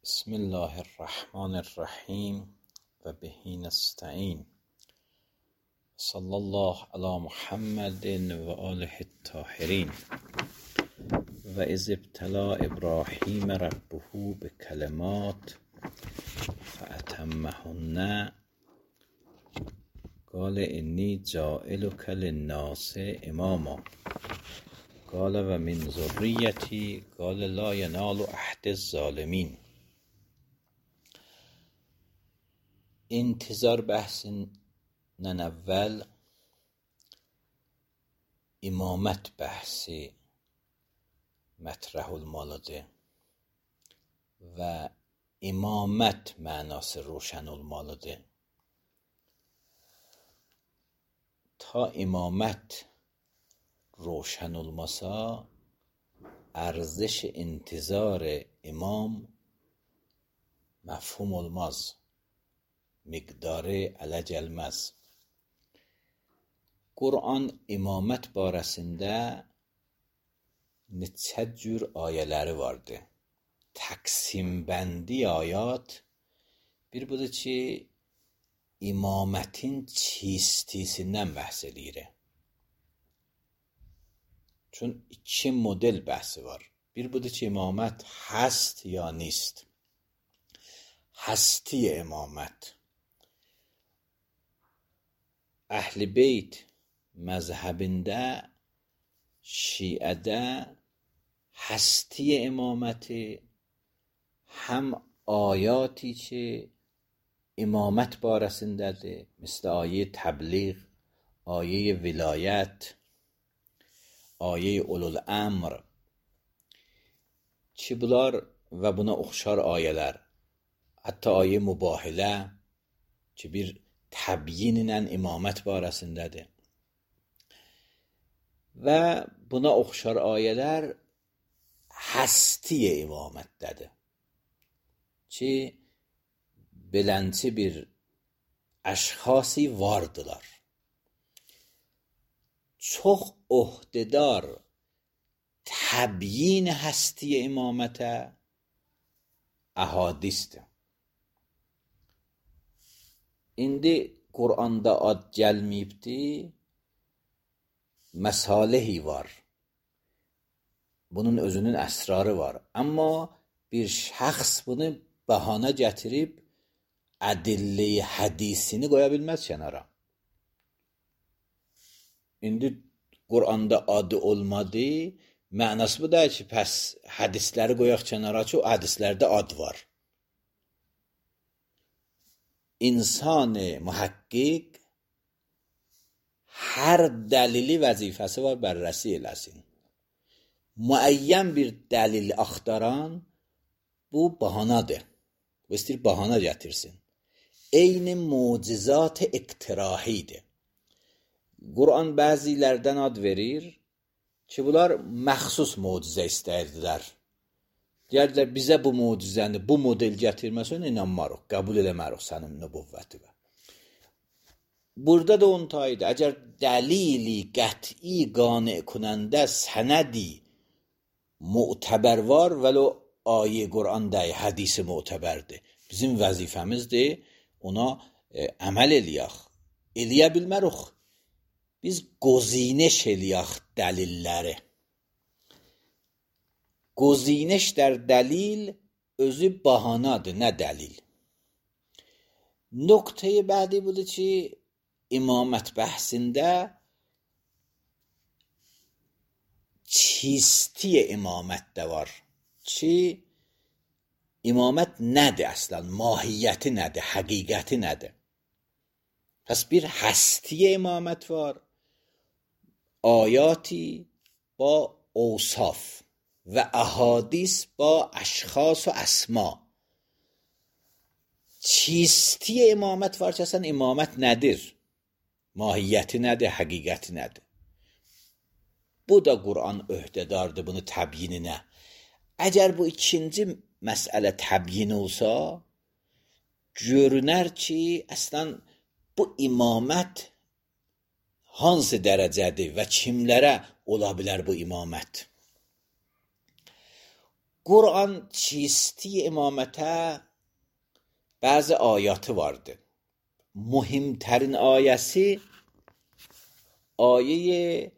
بسم الله الرحمن الرحیم و به نستعین. صلی الله علی محمد و آله الطاهرین. و اذ ابتلی ابراهیم ربه بکلمات فاتمهن قال انی جاعلک للناس اماما قال و من ذریتی قال لا ینال عهد الظالمین. İntizar bəhsindən əvvəl imamət bəhsi mətrəh olmalıdır və imamət mənası roşən olmalıdır. Ta imamət roşən olmasa, ارزش intizar imam məfhum olmaz. Miqdarı ələ gəlməz. Quran imamət barəsində neçə cür ayələri vardır. Təqsimbəndi ayat bir budur ki, imamətin çistisindən bəhs edir. Çün iki model bəhsi var. Bir budur ki, imamət həst ya nist. Həsti imamət. Əhl-i Beyt məzhəbində, şiədə həsti imaməti həm ayati ki, imamət barəsindədir, misal ayə təbliğ, ayə vilayət, ayə ulul əmr ki, bunlar və buna oxşar ayələr, hətta ayə mübahilə ki, bir təbyinlə imamət barəsindədir. Və buna oxşar ayələr həsti imamətdədir. Ki, belənçi bir əşxası vardılar. Çox ohdedar təbyin həsti imamətə əhadisdir. İndi Quranda ad gəlməyibdir, məsalehi var. Bunun özünün əsrarı var. Amma bir şəxs bunu bəhanə gətirib, ədillə-i hədisini qoya bilməz kənara. İndi Quranda adı olmadı, mənası bu da ki, pəs hədisləri qoyaq kənara ki, o hədislərdə ad var. İnsan-ı mühəqqqiq hər dəlili vəzifəsi var, bərrəsi eləsin. Müəyyən bir dəlil axtaran bu bahanadır. Bu istəyir bahana gətirsin. Eyni mucizat-ı iqtirahidir. Quran bəzilərdən ad verir ki, bunlar məxsus mucizə istəyirdilər. Deyərdilər, bizə bu mucizəni, bu model gətirməsən, inanmarıq, qəbul eləmərik sənin nübüvvətinə. Burada da onun tayıdır. Əgər dəlili qəti qane kunəndə sənədi mu'təbər var, vələ ayə Quran dəy, hədisi mu'təbərdir. Bizim vəzifəmizdir, ona əməl eləyək. Eləyə bilmərik. Biz qozinəş eləyək dəlilləri. Qozinəş dər dəlil özü bahanadır, nə dəlil. Nöqtəyi bədi budur ki, imamət bəhsində çisti imamət də var ki, imamət nədir əslən, mahiyyəti nədir, həqiqəti nədir. Pəs bir həsti imamət var, ayati با اوصاف و احادیث با اشخاص و اسما. چیستی imamət var ki, əslən imamət nədir? Mahiyyəti nədir, həqiqəti nədir? Bu da Quran öhdədardır bunu təbyininə. Əgər bu ikinci məsələ təbyin olsa, görünər ki, əslən bu imamət hansı dərəcədir və kimlərə ola bilər bu imamət? Kur'an çisti imamete bazı ayatı vardı. Muhimterin ayesi aye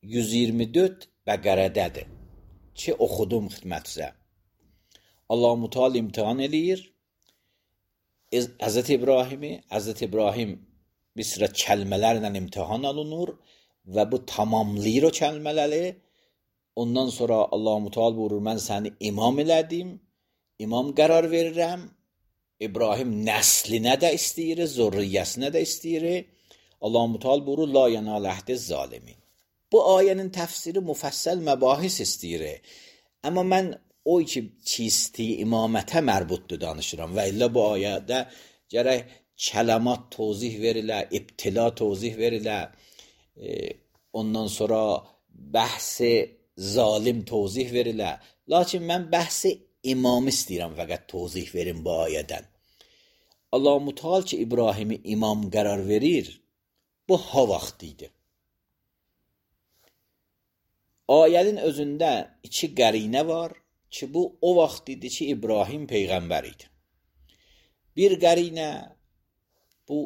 124 Bəqərədədir ki oxudum xidmətinizə. Allah-u Teala imtihan eləyir Hazreti İbrahim'i. Hazreti İbrahim bir sıra kəlmələrlə imtihan alınır və bu tamamlayır o kəlmələri. Ondan sonra Allah-u Teala buyurur, mən səni imam elədim, imam qərar verirəm. İbrahim nəslinə də istəyir, zürriyyəsinə də istəyir. Allah-u Teala buyurur, la yenal əhdi zalimin. Bu ayənin təfsiri müfəssəl məbahis istəyir. Amma mən o ki çisti imamətə mərbutdur danışıram və illə bu ayədə gərək kələmat tozih verilə, ibtila tozih verilə, ondan sonra bəhsi zalim tozih verilə. Lakin mən bəhsi imam istəyirəm fəqət tozih verim bu ayədən. Allah-u Teala ki İbrahimi imam qərar verir, bu ha vaxtı idi. Ayənin özündə iki qərinə var ki, bu o vaxt idi ki, İbrahim peyğəmbər idi. Bir qərinə bu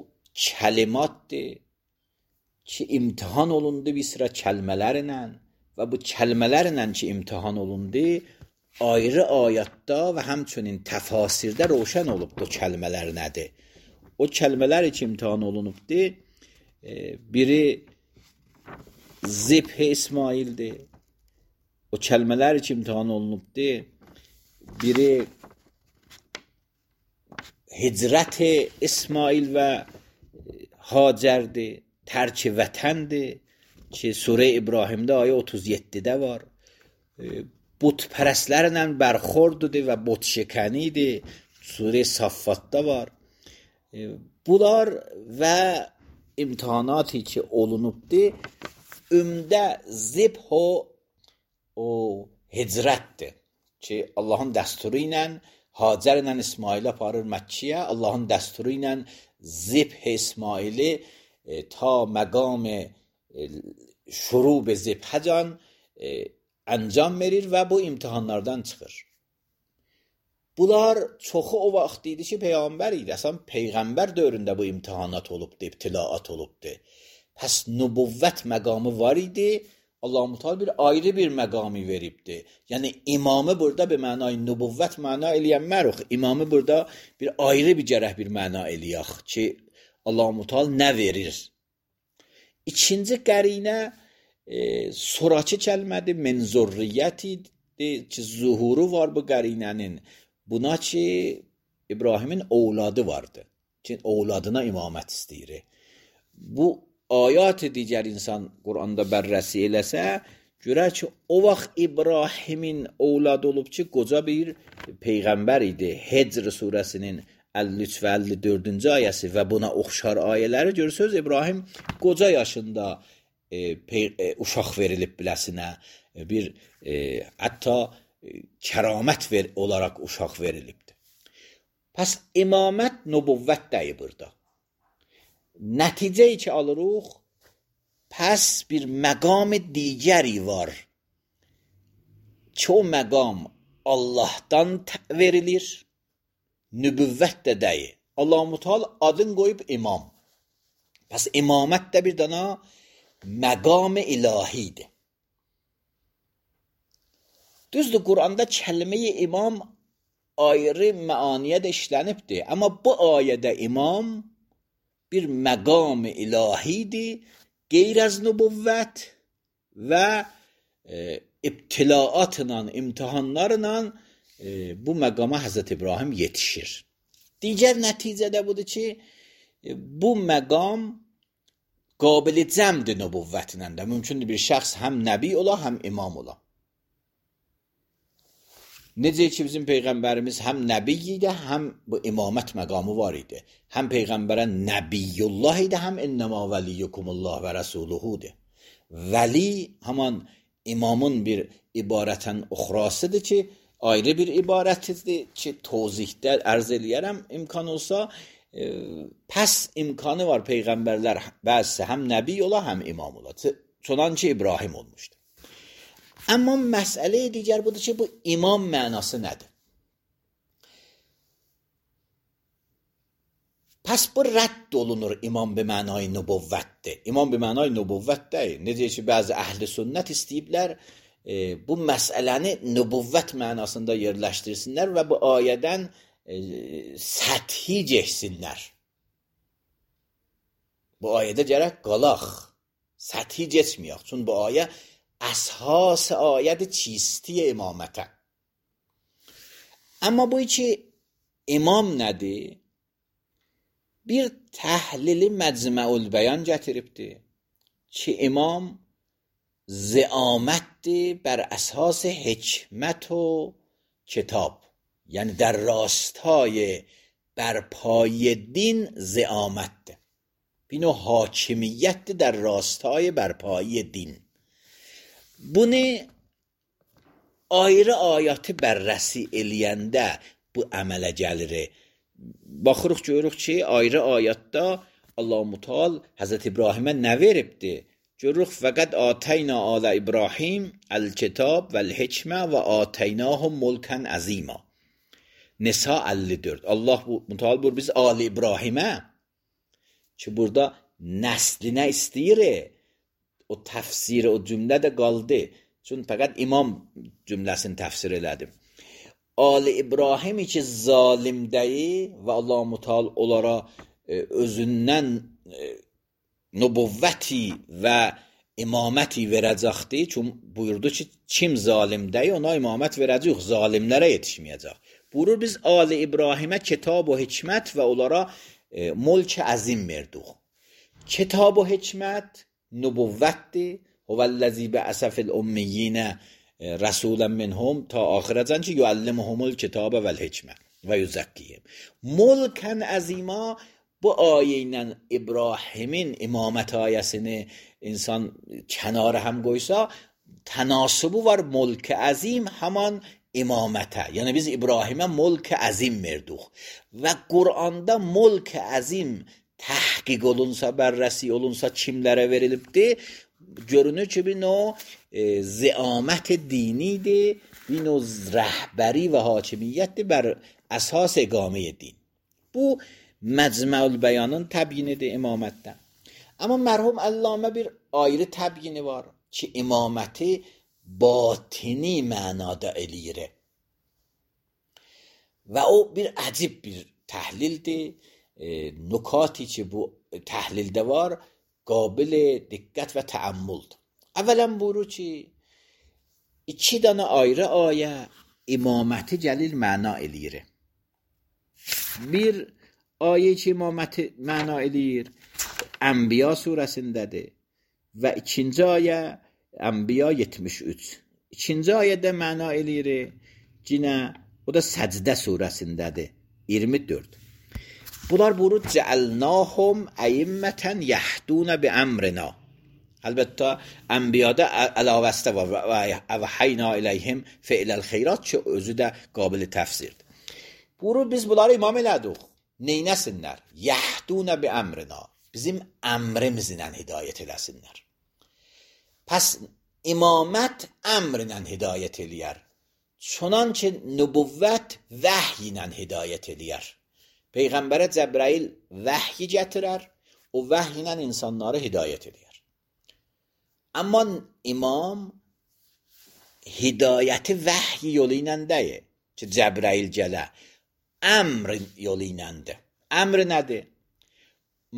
kəlimatdır ki, imtihan olundu bir sıra kəlmələrlə və bu kəlmələrlə ki, imtihan olundu, ayrı ayətdə və həmçinin təfasirdə roşən olubdu o kəlmələr nədir. O kəlmələr ki, imtihan olunubdu, biri zibh İsmail'dir. O kəlmələr ki, imtihan olunubdu, biri hicrət-i İsmail və Hacərdir, tərk-i vətəndir ki, Surə İbrahimdə ayə 37-də var. Butpərəstlərlə bərxordudur və botşəkənidir, Surə Saffatda var. Bunlar və imtihanatı ki olunubdu, ümdə zibh o hicrətdir ki, Allahın dəsturu ilə Hacər ilə İsmail aparır Məkkiyə, Allahın dəsturu ilə zibh İsmaili ta məqam şurub zibhəcan əncam verir və bu imtihanlardan çıxır. Bunlar çoxu o vaxt idi ki, Peyğəmbər idi. Əsən Peyğəmbər dövründə bu imtihanat olubdu, ibtilaat olubdu. Pəs nübüvvət məqamı var idi, Allah-u Teala bir ayrı bir məqamı veribdi. Yəni imamı burada bir mənay nübüvvət məna eləyənmərux. İmamı burada bir ayrı bir gərək bir məna eləyək ki, Allah-u Teala nə verir? İkinci qərinə sonraki kəlmədir, min zürriyyətidir ki, zuhuru var bu qərinənin. Buna ki, İbrahimin ovladı vardı. Ki, ovladına imamət istəyir. Bu ayat digər insan Quranda bərrəsi eləsə, görər ki, o vaxt İbrahimin ovladı olub ki, qoca bir peyğəmbər idi. Hecr surəsinin 53 və 54-cü ayəsi və buna oxşar ayələri görürsünüz. İbrahim qoca yaşında uşaq verilib biləsinə, bir hətta kəramət olaraq uşaq verilibdir. Pəs imamət nübüvvət dəyi burada. Nəticəyi ki alırıq, pəs bir məqam digəri var ki, o məqam Allahdan verilir, nübüvvət də dəyi. Allah-u Teala adın qoyub imam. Pəs imamət də bir dana məqam-ı ilahidir. Düzdür, Quranda kəlmə-i imam ayrı məaniyə də işlənibdir. Amma bu ayədə imam bir məqam-ı ilahidir, qeyr az nübüvvət və ibtilaatla, imtihanlarla bu məqama Həzrət İbrahim yetişir. Digər nəticə də budur ki, bu məqam qabiliyyət cəmdir nübüvvətlə də. Mümkündür bir şəxs həm nəbi ola, həm imam ola. Necə ki, bizim Peyğəmbərimiz həm nəbi idi, həm bu imamət məqamı var idi. Həm Peyğəmbərə nəbiyyullah idi, həm innəmə vəliyyukumullah və rəsuluhudur. Vəli haman imamın bir ibarətən uxrasıdır ki, ayrı bir ibarətidir ki, tozihdə ərz eləyərəm imkan olsa, pəs imkanı var Peyğəmbərlər bəzisi həm nəbi ola, həm imam ola. Çonanca İbrahim olmuşdur. Amma məsələ digər budur ki, bu imam mənası nədir? Pəs bu rədd olunur imam be mənay nübüvvətdir. İmam be mənay nübüvvət deyil. Necə ki, bəzi əhl-i sünnət istəyiblər bu məsələni nübüvvət mənasında yerləşdirsinlər və bu ayədən səthi geçsinlər. Bu ayədə gərək qalaq. Səthi geçməyək. Çünki bu ayə əsas ayədir çisti imamətə. Amma bu ki, imam nədir? Bir təhlili məcməul bəyan gətiribdir ki, imam zəamətdir bər əsas hikmət و کتاب. یعنی در راستای برپای دین زعامت. بینو حاکمیت در راستای برپای دین. Bunu ayrı ayatı bərrəsi eləyəndə bu əmələ gəlir. Baxırıq görürük ki, ayrı ayatda Allah-u Teala Həzrət İbrahimə nə veribdi? Görürük fəqət atəyna alə İbrahim el-kitab vəl-hikmə və ataynahum mulkan azima. Nisa 54. Allah Teala buyur biz Ali İbrahimə ki burada nəslinə istəyir. O təfsiri o cümlə də qaldı. Çünki fəqət imam cümləsini təfsir elədim. Ali İbrahimi ki zalim deyil və Allah-u Teala onlara özündən nübüvvəti və imaməti verəcəkdir. Çünki buyurdu ki kim zalim deyil ona imamət verəcək, zalimlərə yetişməyəcək. Buyurur biz Ali İbrahimə kitab و hikmət və onlara mulk azim verdik. Kitab و hikmət nübüvvətdir. Huvəl-ləzi bə'əsə fil-ümmiyinə rəsulən minhum ta axirəcən ki yuəllimuhumul kitabə vəl-hikmə və yüzəkkiyim. Mulkən əzima bu ayə ilə İbrahimin imamət ayəsini insan kənara həm qoysa tənasübü var mulk əzim haman imamətə. Yəni biz İbrahimə mulk əzim verdik və Quranda mulk əzim təhqiq olunsa, bərrəsi olunsa kimlərə verilibdir? Görünür ki bir növ zəamət dinidir, bir növ rəhbəri və hakimiyyətdir bər əsas iqamə din. Bu Məcməul Bəyanın təbyinidir imamətdən. Amma mərhum Allamə bir ayrı təbyini var ki imaməti batini mənada eləyir. Və o bir əcib bir təhlildir. Nukati ki bu təhlildə var qabil diqqət və təəmmüldir. Əvvələn buyurur ki 2 dənə ayrı ayə imaməti gəlil məna eləyir. Bir ayə ki imaməti məna eləyir Ənbiya surəsindədir və ikinci ayə Ənbiya 73. İkinci ayədə məna eləyir yenə o da Səcdə surəsindədir 24. Bunlar buyurur cəəlnahum əimmətən yəhdunə bi əmrina. Əlbəttə Ənbiyada əlavəstə var və əvhəyna iləyhim fi'ləl xeyrat ki özü də qabil təfsirdir. Buyurur biz bunları imam elədik. Neynəsinlər? Yəhdunə bi əmrina. Bizim əmrimizlə hidayət eləsinlər. Pəs imamət əmrlə hidayət eləyər. Çunan ki nübüvvət vəhy ilə hidayət eləyər. Peyğəmbərə Cəbrail vəhyi gətirər, o vəhy ilə insanları hidayət eləyər. Amma imam hidayəti vəhy yolu ilə deyil ki Cəbrail gələ, əmr yolu iləndir. Əmr nədir?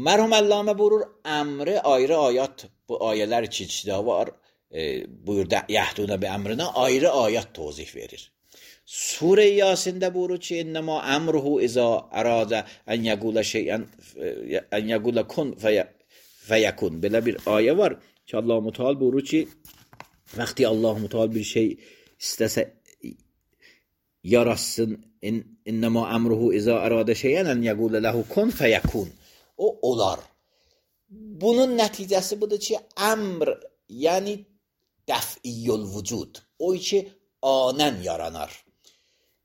Mərhum Allamə buyurur, əmri ayrı ayət, bu ayələr ki içdə var, buyurdu yəhdunə bi əmrinə ayrı ayət tozih verir. Sure Yasində buyurur ki innəmə əmruhu izə əradə ən yəqulə şeyən ən yəqulə kun fəyəkun. Belə bir ayə var ki Allah-u Teala buyurur ki vaxtı Allah-u Teala bir şey istəsə yaratsın innəmə əmruhu izə əradə şeyən ən yəqulə ləhu kun fəyəkun. O olar. Bunun nəticəsi budur ki əmr yəni dəf'iyyül vücud. O ki anən yaranar.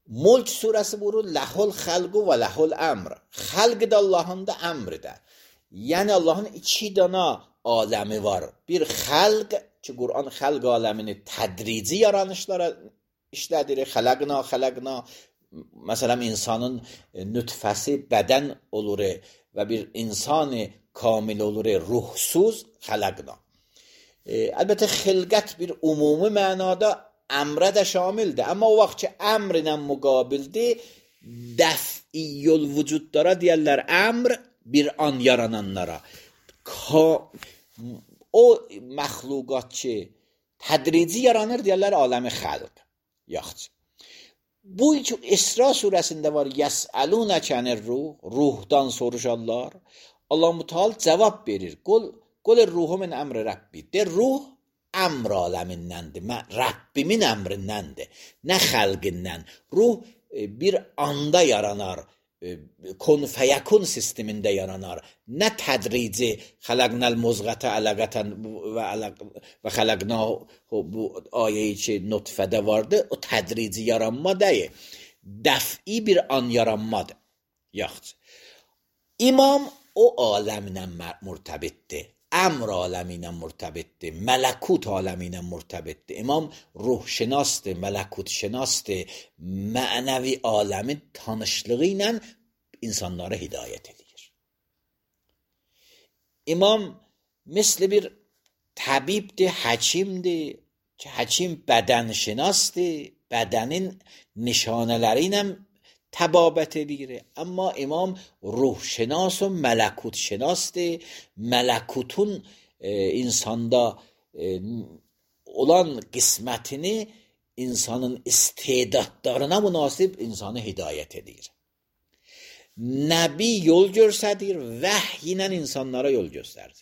Mulk surəsi buyurur ləhul xəlqu və ləhul əmr. Xəlq də Allahın da əmri də. Yəni Allahın 2 dana aləmi var. Bir xəlq ki Qur'an xalq aləmini tədrici yaranışlara işlədir. Xələqna məsələn insanın nütfəsi bədən olur və bir insanı kamil olur ruhsuz xələqna. Əlbəttə xilqət bir ümumi mənada əmrə də şamildir. Amma o vaxt ki əmr ilə müqabildir, dəf'iyyül vücudlara deyərlər əmr bir an yarananlara. O məxluqat ki tədrici yaranır deyərlər aləmi xəlq. Yaxşı. Bu ki İsra surəsində var, yəsəlunəkə anir-ruh, ruhdan soruşarlar. Allah Müteal cavab verir. Qul ruhu min əmri Rəbbi. De ruh əmr aləmindəndir. Rəbbimin əmrindəndir. Nə xəlqindən. Ruh bir anda yaranar. Kun fəyəkun sistemində yaranar. Nə tədrici xələqnəl muzğətə ələqətən və xələqnahu bu ayəyi ki nutfədə vardı. O tədrici yaranma deyil. Dəf'i bir an yaranmadır. Yaxşı. İmam o aləminə mürtəbitdir. Əmr aləminə mürtəbitdir. Mələkut aləminə mürtəbitdir. İmam ruhşinasdır, mələkutşinasdır. Mənəvi aləmin tanışlığı ilə insanlara hidayət edir. İmam misli bir təbibdir, həkimdir. Ki həkim bədənşinasdır. Bədənin nişanələri ilə təbabət edir. Amma imam ruhşinas و mələkut şinasdır. Mələkutun insanda olan qismətini insanın istedadlarına münasib insanı hidayət edir. Nəbi yol göstərir, vəhy ilə insanlara yol göstərir.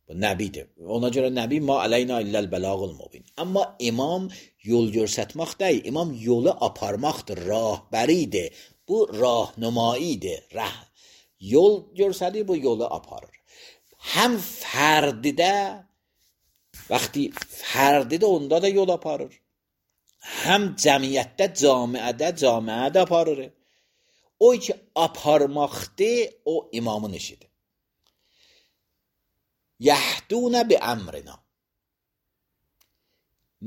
Bu nəbidir. Ona görə nəbi ma aleyna illəl bəlağul mubin. Amma imam yol göstərmək deyil, imam yolu aparmaqdır, rəhbəridir. Bu rahnumaidir. Yol göstərir, bu yolu aparır. Həm fərdidə, vaxtı fərdidə onda da yol aparır. Həm cəmiyyətdə, camiədə aparır. O ki aparmaqdır, o imamın işidir. Yəhdunə bi əmrina.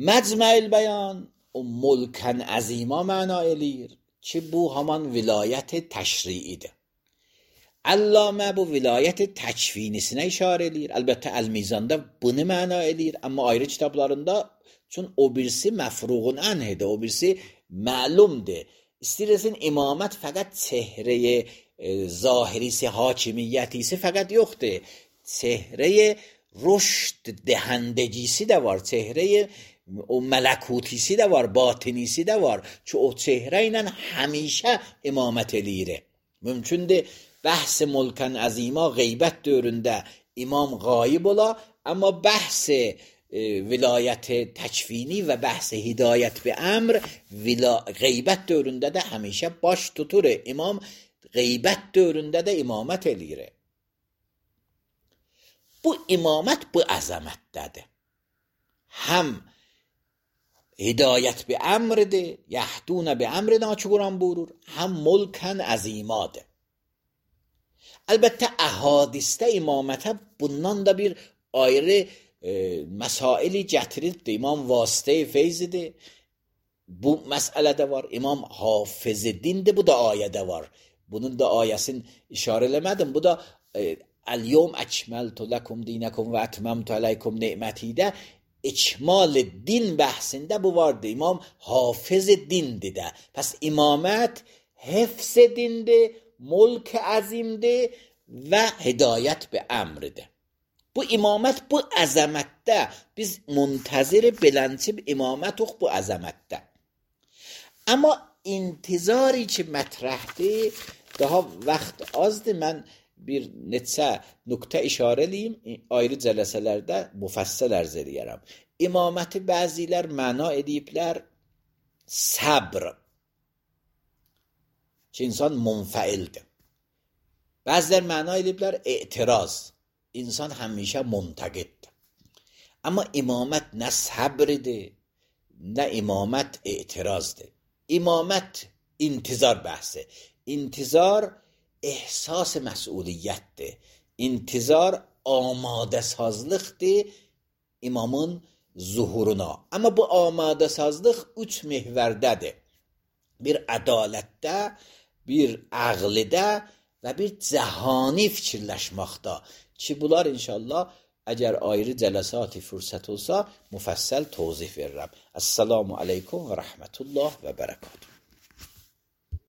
Məcməil bəyan o mulkən əzima məna eləyir ki, bu haman vilayət təşriidir. Allamə bu vilayət təkvinisinə işarə eləyir. Əlbəttə Əl-Mizanda bunu məna eləyir, amma ayrı kitablarında çün o birisi məfruğun ənhidir, o birisi məlumdur. İstəyirsin imamət fəqət çehrəyə zahirisi, hakimiyyətisi fəqət yoxdur. Çehrəyə rüşd dəhəndəcisi də var, çehrəyə o mələkutisi də var, batinisi də var ki, o çehrə ilə həmişə imamət eləyir. Mümkündür, bəhs mulkən əzima qeybət dövründə imam qayib ola, amma bəhs vilayət təkvini və bəhs hidayət bi əmr qeybət dövründə də həmişə baş tutur. İmam qeybət dövründə də imamət eləyir. Bu imamət bu əzəmətdədir. Həm hidayət bi əmridir, yəhdunə bi əmrinə ki Quran buyurur, həm mulkən əzimadır. Əlbəttə əhadisdə imamətə bundan da bir ayrı məsaili gətirilibdir. İmam vasitə-i feyzidir. Bu məsələdə var. İmam hafız-ı dindir. Bu da ayədə var. Bunun da ayəsini işarə eləmədim. Bu da Əl-yevm əkməltu ləkum dinəkum və ətməmtu əleykum ne'mətidə ikmal din bəhsində bu vardır. İmam hafız dindir də. Pəs imamət hifz dindir, mulk əzimdir və hidayət bi əmridir. Bu imamət bu əzəmətdə biz muntəzir beləncib imamət bu əzəmətdə. Amma intizari ki mətrəhdir, daha vaxt azdır. Mən bir neçə nöqtə işarə eləyim, ayrı cələsələrdə müfəssəl ərz eləyərəm. İmaməti bəzilər məna ediblər səbr, ki insan munfəildir. Bəzilər məna ediblər etiraz, insan həmişə muntəqiddir. Amma imamət nə səbridir, nə imamət etirazdır. İmamət intizar bəhsi. İntizar ehsas məsuliyyətdir. İntizar amadə sazlıqdır imamın zuhuruna. Amma bu amadə sazlıq 3 mehvərdədir. Bir ədalətdə, bir əqlidə və bir cəhani fikirləşməkdə ki, bunlar inşallah əgər ayrı cələsati fürsət olsa müfəssəl tozih verirəm. Əssalamu aleykum və rəhmətullah və bərəkatuhu.